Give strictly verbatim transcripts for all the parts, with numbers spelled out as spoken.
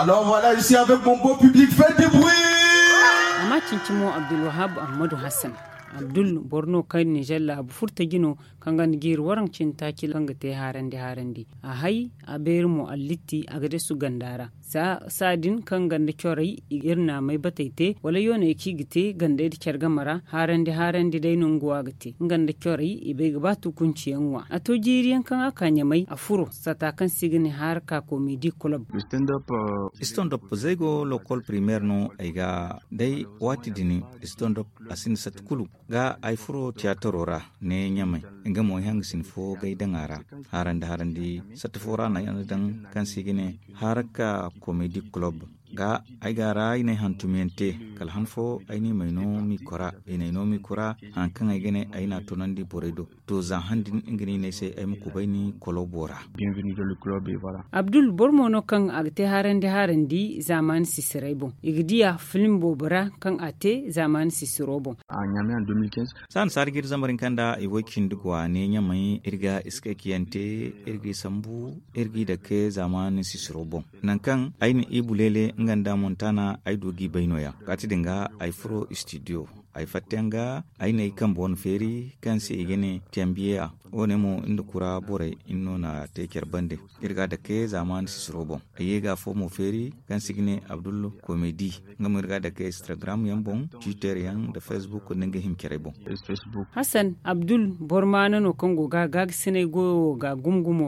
Alors voilà, je suis avec mon beau public, faites du bruit. Amma cincimo abdulwahab ahmadu hassan. Abdul boro no kaŋ nizer laabu furtaji no, kaŋ ga ni jiiri waraŋ cine taaci kaŋ ga te haarandi haarandi. A hay, a beeri mo allitti a ga desu ganda ra. Saa din kaŋ ganda corey, iri na a may batey te wala yooney kaŋ i ga te gandey nda care game ra haarandi haarandi day no nga wo a ga te nga nda corey. I bay ga ba tukunci yaŋ ŋwa a to jiiri yaŋ kaŋ a ka ɲamay a furo sata kaŋ se i ga ne haaraka komedi kulob. Standup zaygo lokol primeer no ay ga day waati din. Standup a sinda satti kulu ga ay furo tiyataro ra ne ɲamay. Nga mo ay hanga sina fo gay daŋ a ra. Haarandi haarandi satti fo ra no ay na daŋ kaŋ se i ga ne haaraka komedi kulob. Ga ay ga a ra ay na ay hantumyaŋ te kala han fo ay na i may no mikora i na ay no mikora. Haŋ kaŋ ay ga ne ay na a tunandi borey do to za han din nga no i ne ay se ay ma kubay ni kolobo ra. Abdul boro mo no kaŋ a ga te haarandi haarandi zaamaani sisiray boŋ i ga diya film boobo ra kaŋ a te zaamaani sisiro boŋ. Saani saari ga iri zambar hinka nda i way cindi go a ne ɲamay iri ga iskay kaŋ yaŋ te iri ga i sambu iri ga i dake zaamaani sisiro boŋ. Nangu kaŋ ay na i buleele nga nda montana ay du ga i bay no- ya kaati din ga ay furo studio. Ay fatta yaŋ ga ay na ay kambe wane feeri kaŋ se i ga ne tembiya. Wo- ne mo nda kura borey iri no na te care bande. Iri ga a dake zaamaani sisiro boŋ ay ye ga afo mo feeri kaŋ se i ga ne abdul komedi. Nga mo iri ga a dake instagram yaŋ boŋ twitter yaŋ nda facebook nda nga hima carey boŋ. Hassan abdul boro maana no kaŋ go ga gaagasinay goyo wo ga gumo gumo.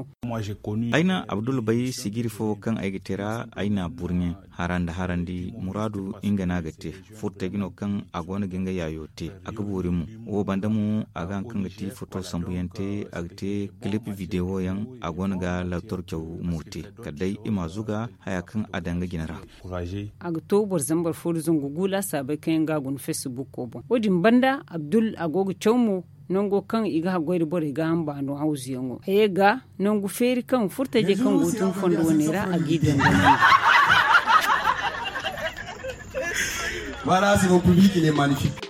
Ay na abdul bay sijiri fo kaŋ ay ga te ra ay na a burɲe. Harandi harandi muraadu nga no a ga te. Furtaji no kaŋ a go no ga nga yaayo te a ga boori mo. Wo banda mo a ga haŋ kaŋ ga ti foto sambu yaŋ te a ga te kilip videwo yaŋ. A go no ga laator caw mo te kala day i ma zuga haya kaŋ a daŋ ga jina ra. A ga to boro zambar fo nda zangu gu laasaabey kaŋ yaŋ ga a guna facebook wo boŋ wo- din banda abdul a go ga caw mo. Nango kaŋ i ga haggoy nda borey ga hamba no hawzuyaŋo a ye ga nangu feeri kaŋ furtajey kaŋ go tun fondo wane ra a g'i dondon. Voilà c'est mon public il est magnifique.